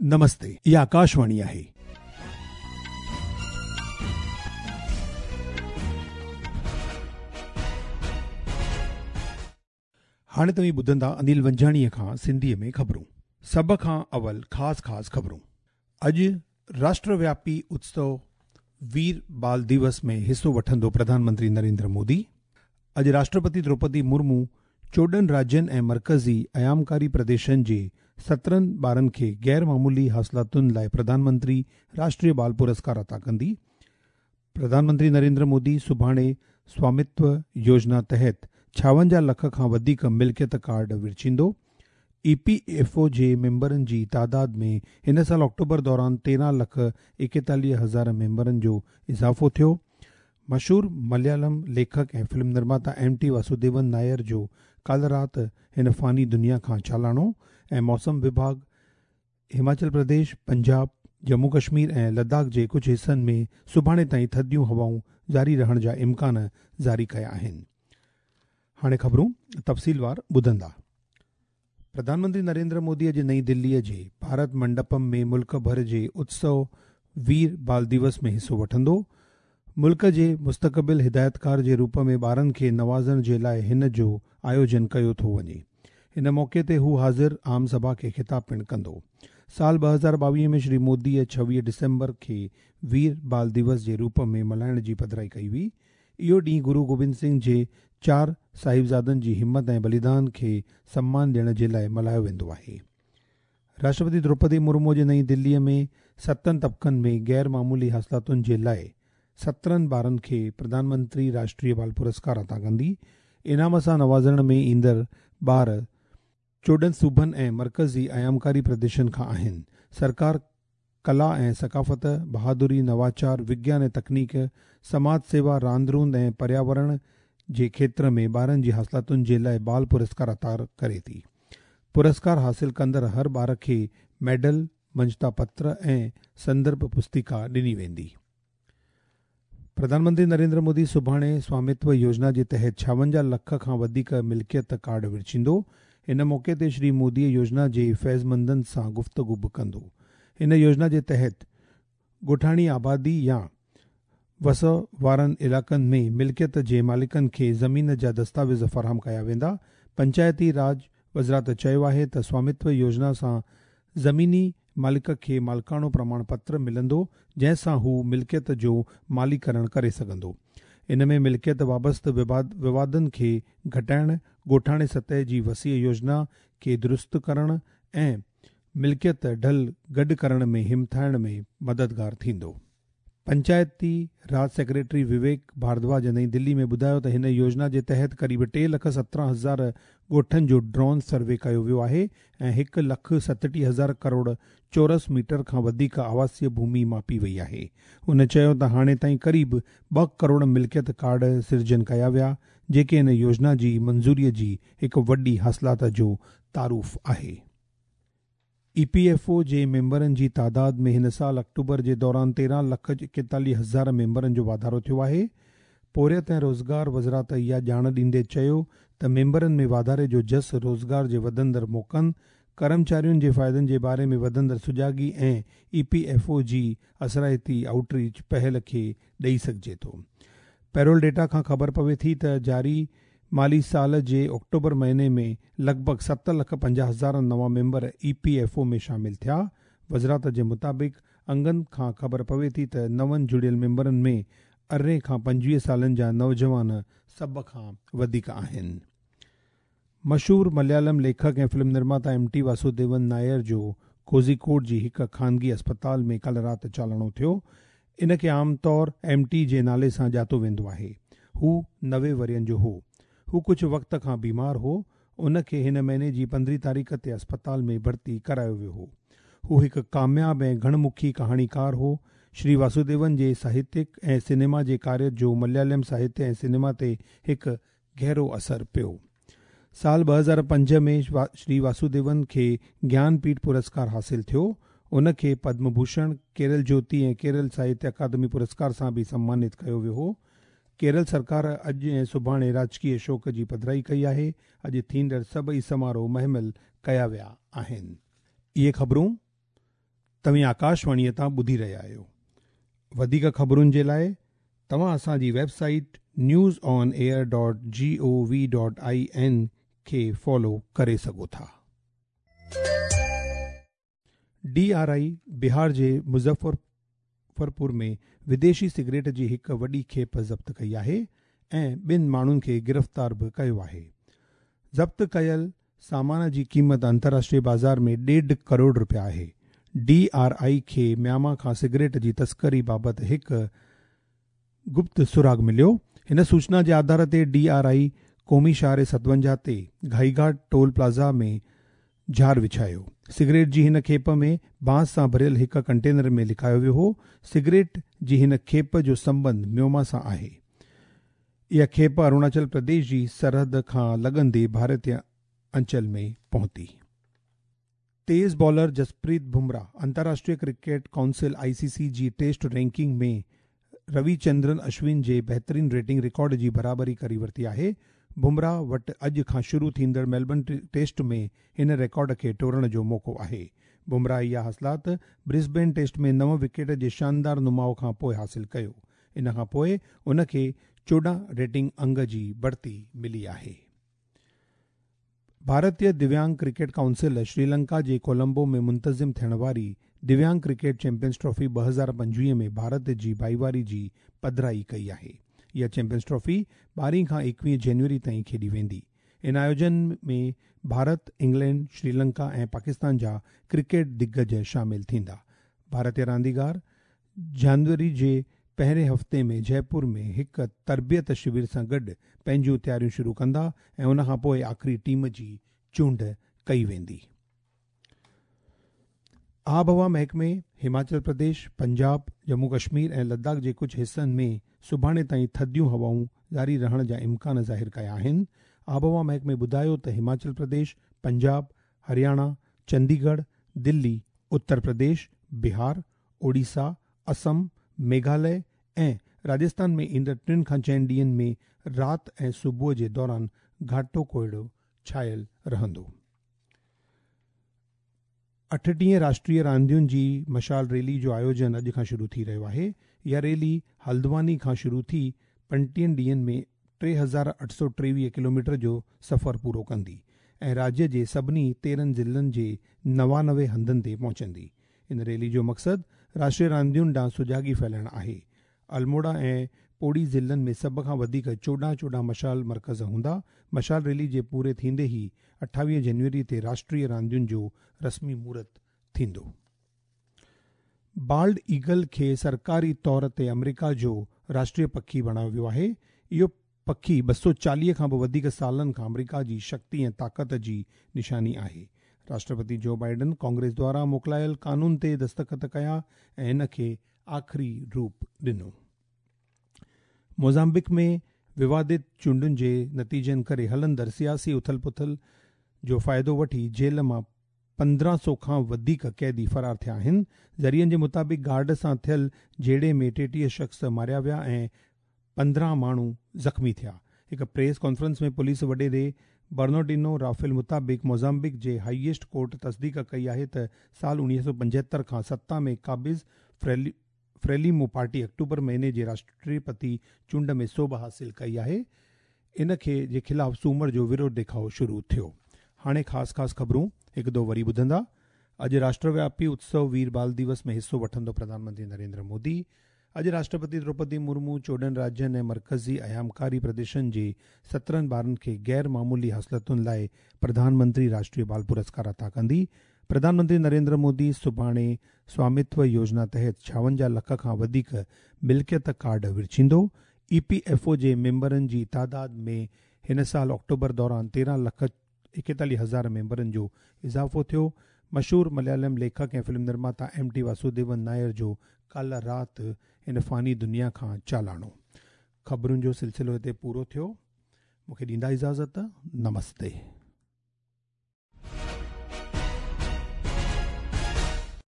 نمستي اها آڪاشواڻي آهي. هاڻي توهين ٻڌندا انيل ونجهاڻيء کان سنڌيء ۾ خبرون. سڀ کان اول خاص خاص خبرون. اڄ راشٽر وياپي اتسو وير بال ديوس ۾ حصو وٺندو پرڌان منتري نريندر مودي. اڄ راشٽرپتي دروپدي مرمو 14 راجين ۽ مرڪزي ايامڪاري پرديشن جي 17 ٻارن کي غير معمولي حاصلاتن لاء پرڌان منتري راشٽريه بال پرسڪار عطا ڪندي. پرڌان منتري نريندر مودي سڀاڻي سوامتو يوجنا تحت 56 لک کان وڌيڪ ملڪيت ڪارڊ ورڇيندو. اي پي ايف او جي ميمبرن جي تعداد ۾ هن سال آڪٽوبر دوران 13 لک 41 هزار ميمبرن جو اضافو ٿيو. مشهور مليالم ليکڪ ۽ film نرماتا M T Vasudevan Nair جو ڪالهه رات هن فاني دنيا کان چالاڻو ۽ موسم وڀاڳ هماچل پرديش، پنجاب، ڄمون ڪشمير ۽ لداخ جي ڪجهه حصن ۾ سڀاڻي تائين ٿڌيون هوائون جاري رهڻ جا امڪان جاري ڪيا آهن. هاڻي خبرون تفصيلوار ٻڌندا. پرڌان منتري نريندر مودي اڄ نئين دليء جي ڀارت منڊپم ۾ ملڪ ڀر جي اتسو وير بال ديوس ۾ حصو وٺندو. ملڪ جي مستقبل هدايتڪار جي روپ ۾ ٻارن کي نوازڻ جي لاء هن جو آيوجن ڪيو ٿو وڃي. ان موقعي تي هو حاضر عام سڀا کي خطاب پڻ ڪندو. سال 2022 ۾ شري موديء 26 ڊسمبر کي وير بال ديوس جي روپ ۾ ملهائڻ جي پڌرائي ڪئي هئي. اهو ڏينهن گرو گوبند سنگهه جي چار صاحبزادن جي همت ۽ بليدان کي سمان ڏيڻ جي لاء ملهايو ويندو آهي. راشٽرپتي دروپدي مرمو جي نئين دليء ۾ ستن طبقن ۾ غير معمولي حاصلاتن جي لاء 17 ٻارن کي پرڌان منتري راشٽريه بال پرسڪار عطا ڪندي. انعام سان نوازڻ ۾ ايندڙ ٻار 14 صوبن ۽ مرڪزي ايامڪاري پرديشن کان آهن. سرڪار ڪلا ۽ ثقافت، بهادري، نواچار، وگيان ۽ تڪنيڪ، سماج سيوا، راند روند ۽ پرياورڻ جي کيتر ۾ ٻارن جي حاصلاتن جي لاء بال پرسڪار عطا ڪري ٿي. پرسڪار حاصل ڪندڙ هر ٻار کي ميڊل، مڃتا پتر ۽ سندرڀ پستڪا ڏني ويندي. پرڌان منتري نريندر مودي سڀاڻي سوامتو يوجنا جي تحت 56 لک کان وڌيڪ ملڪيت ڪارڊ ورڇيندو. ان موقعي تي شري مودي يوجنا جي فيضمندن سان گفتگو به ڪندو. هن يوجنا جي تحت ڳوٺاڻي آبادي يا وس وارن علائقن ۾ ملڪيت جي مالڪن کي زمين جا دستاويز فراهم ڪيا ويندا. پنچائتي راڄ وزارت چيو آهي ته سوامتو يوجنا سان زميني مالڪ کي مالڪاڻو پرماڻ پتر ملندو جنهن سان هو ملڪيت جو ماليڪرڻ ڪري سگهندو. ان ۾ ملڪيت وابسته ووادن کي گهٽائڻ، ڳوٺاڻي سطح جي وسيع يوجنا کي درست ڪرڻ ۽ ملڪيت ڍل گڏ ڪرڻ ۾ همٿائڻ ۾ مددگار ٿيندو. پنچائتي راڄ سيڪريٽري وويڪ ڀاردواج نئين دلي ۾ ٻڌايو ته هن يوجنا جي تحت قريب 3 لک 17 هزار ڳوٺن جو ڊرون سروي ڪيو ويو آهي ۽ 1 لک 37 هزار ڪروڙ چورس ميٽر کان وڌيڪ آواسيه ڀومي ماپي وئي آهي. هن چيو ته هاڻي تائين قريب 2 ڪروڙ ملڪيت ڪارڊ سرجن ڪيا ويا جيڪي هن يوجنا جي منظوري جي هڪ وڏي حاصلات جو تعارف آهي. اي پي ايف او جي ميمبرن جي تعداد ۾ هن سال آڪٽوبر جي دوران 13 لک 41 هزار ميمبرن جو واڌارو ٿيو آهي. پورهيت ۽ روزگار وزارت اها ڄاڻ ڏيندي چيو ته ميمبرن ۾ واڌاري جو جس روزگار جي وڌندڙ موقعن، ڪرمچارين جي فائدن جي باري ۾ وڌندڙ سجاڳي ۽ اي پي ايف او جي اثرائتي آئوٽ ريچ پهل کي ڏئي سگهجي ٿو. پيرول ڊيٽا کان خبر پوي ٿي ته جاري مالي سال جي آڪٽوبر مهيني ۾ لڳ ڀڳ 7 لک 50 هزار نوان ميمبر اي پي ايف او ۾ شامل ٿيا. وزارت جي مطابق انگن کان خبر پوي ٿي ته نون جڙيل ميمبرن ۾ 18 کان 25 سالن جا نوجوان سڀ کان وڌيڪ آهن. مشهور مليالم ليکڪ ۽ film نرماتا M T Vasudevan Nair جو ڪوزيڪوڊ جي هڪ خانگي اسپتال ۾ ڪالهه رات چالاڻو ٿيو. ان کي عام طور ايم ٽي جي نالي سان ڄاتو ويندو آهي. هو 90 ورهين جو هو. هو ڪجهه وقت کان بيمار هو. ان کي هن مهيني جي 15 تاريخ تي اسپتال ۾ ڀرتي ڪرايو ويو هو. هو هڪ ڪامياب ۽ گهڻ مکي ڪهاڻيڪار هو. شري واسوديون جي ساهتيڪ ۽ سئنيما جي ڪاريه جو مليالم ساهتيه ۽ سئنيما تي هڪ گهرو اثر پيو. سال 2005 ۾ شري واسوديون کي گيان پيٺ پرسڪار حاصل ٿيو. ان کي پدم ڀوشڻ، ڪيرل جيوتي ۽ ڪيرل ساهتيه اڪادمي پرسڪار سان به سمانت ڪيو ويو هو. ڪيرل سرڪار اڄ ۽ سڀاڻي راجڪيه شوڪ جي پڌرائي ڪئي آهي. اڄ ٿيندڙ سڀئي سماروهه مهمل ڪيا ويا آهن. اهي خبرون. توهين آڪاشواڻيء تان ٻڌي رهيا آهيو. وڌيڪ خبرن جي لاء توهان اسان جي website news on air dot G O V dot I N کي فالو ڪري سگهو ٿا. ڊي آر I بهار جي مظفرپور ۾ وديشي سگريٽ جي هڪ وڏي کيپ ضبط ڪئي آهي ۽ ٻن ماڻهن کي گرفتار به ڪيو آهي. ضبط ڪيل سامان جي قيمت انترراشٽريه بازار ۾ ڏيڍ ڪروڙ رپيا آهي. ڊي آر I کي ميانما کان سگريٽ جي تسڪري بابت هڪ گپت سراغ مليو. هن سوچنا جي آڌار تي ڊي آر I قومي شاهراهه 57 تي گهائيگهاٽ ٽول پلازا ۾ ڄار وڇايو. سگريٽ جي هن کيپ ۾ بانس سان ڀريل هڪ ڪنٽينر ۾ لڪايو ويو هو. سگريٽ جي هن کيپ جو سنٻنڌ ميانما سان آهي. اها کيپ اروناچل پرديش جي سرحد کان لڳندي ڀارتي انچل ۾ پهتي. تيز بالر جسپريت بمرا انترراشٽريه cricket council, I C C, جي test ranking ۾ Ravichandran Ashwin جي بهترين ريٽنگ رڪارڊ جي برابري ڪري ورتي آهي. بمرا وٽ اڄ کان شروع ٿيندڙ ميلبرن ٽيسٽ ۾ هن رڪارڊ کي ٽوڙڻ جو موقعو آهي. بمرا اها حاصلات برسبين ٽيسٽ ۾ نو وڪيٽ جي شاندار نماء کان پوء حاصل ڪيو. ان کان پوء ان کي 14 ريٽنگ انگ جي بڙتي ملي آهي. ڀارتي دويانگ ڪرڪيٽ ڪائونسل شريلنڪا جي ڪولمبو ۾ منتظم ٿيڻ واري دويانگ ڪرڪيٽ چيمپيئنز ٽرافي 2025 ۾ ڀارت جي ڀائيواري جي پڌرائي ڪئي آهي. اها چيمپيئنز ٽرافي 12 کان 21 جنوري تائين کيڏي ويندي. ان آيوجن ۾ ڀارت، انگلينڊ، شريلنڪا ۽ پاڪستان جا ڪرڪيٽ دگج شامل ٿيندا. ڀارتي رانديگار جنوري جي پهرين هفتي ۾ جئپور ۾ هڪ تربيت شور سان گڏ پنهنجون تياريون شروع ڪندا ۽ ان کان پوء آخري ٽيم جي چونڊ ڪئي ويندي. آبهوا محڪمي هماچل پرديش، پنجاب، ڄمون ڪشمير ۽ لداخ جي ڪجهه حصن ۾ سڀاڻي تائين ٿڌيون هوائون جاري رهڻ جا امڪان ظاهر ڪيا آهن. آبهوا محڪمي ٻڌايو ته هماچل پرديش، پنجاب، هرياڻا، چنديڳڙهه، دلي، اتر پرديش، بهار، اوڙيسا، اسم، ميگهاليه ۽ راجستان ۾ ايندڙ ٽن کان چئن ڏينهن ۾ رات ۽ صبح جي دوران گهاٽو ڪوهيڙو ڇانيل رهندو. 38 راشٽريه راندين جي مشال ريلي جو آيوجن اڄ کان شروع ٿي رهيو آهي. اها ريلي هلدواني کان شروع ٿي 35 ڏينهن ۾ 3823 ڪلوميٽر جو سفر پورو ڪندي ۽ راجيه جي سڀني 13 ضلعن جي 99 هنڌن تي پهچندي. ان ريلي جو مقصد راشٽريه راندين ڏانهن سجاڳي ڦهلائڻ آهي. الموڙا ۽ پوڙي ضلعن ۾ سڀ کان وڌيڪ 14 14 مشال مرڪز هوندا. مشال ريلي جي پوري ٿيندي ئي 28 جنوري تي راشٽريه راندين جو رسمي مهورت ٿيندو. بالڊ ايگل کي سرڪاري طور تي آمريڪا جو راشٽريه پکي بڻايو ويو آهي. اهو پکي 240 کان به وڌيڪ سالن کان آمريڪا جي شڪتي ۽ طاقت جي نشاني آهي. راشٽرپتي جو بائيڊن ڪانگريس دواران موڪلايل قانون تي دستخط ڪيا ۽ ان کي آخري روپ ڏنو. موزامبيق ۾ ووادت چونڊن جي نتيجن ڪري هلندڙ سياسي اٿل پٿل جو فائدو وٺي جيل مان 1500 کان وڌيڪ قيدي فرار ٿيا آهن. ذريعن جي مطابق گارڊ سان ٿيل جهيڙي ۾ 33 شخص ماريا ويا ۽ 15 ماڻهو زخمي ٿيا. هڪ پريس ڪانفرنس ۾ پوليس وڏيري برنارڊينو رافيل مطابق موزامبيق جي هائيسٽ ڪورٽ تصديق ڪئي آهي ته سال 1975 کان ستا ۾ قابض فريليمو پارٽي آڪٽوبر مهيني جي راشٽرپتي چونڊ ۾ سوڀ حاصل ڪئي آهي. ان کي جي خلاف سومر جو وروڌ ڏيکاء شروع ٿيو. هاڻي خاص خاص خبرون هڪ دو وري ٻڌندا. اڄ راشٽروياپي اتسو وير بال ديوس ۾ حصو وٺندو پرڌان منتري نريندر مودي. اڄ راشٽرپتي دروپدي مرمو 14 راجين ۽ مرڪزي ايامڪاري پرديشن جي 17 ٻارن کي غير معمولي حاصلتن لاء پرڌان منتري راشٽريه بال پرسڪار عطا ڪندي. پرڌان منتري نريندر مودي سڀاڻي سوامتو يوجنا تحت 56 لک کان وڌيڪ ملڪيت ڪارڊ ورڇيندو. اي پي ايف او جي ميمبرن جي تعداد ۾ هن سال آڪٽوبر دوران 13 لک 41 هزار ميمبرن جو اضافو ٿيو. مشهور مليالم ليکڪ ۽ film نرماتا M T Vasudevan Nair جو ڪالهه رات هن فاني دنيا کان چالاڻو. خبرن جو سلسلو هتي پورو ٿيو. مون کي ڏيندا اجازت. نمستي.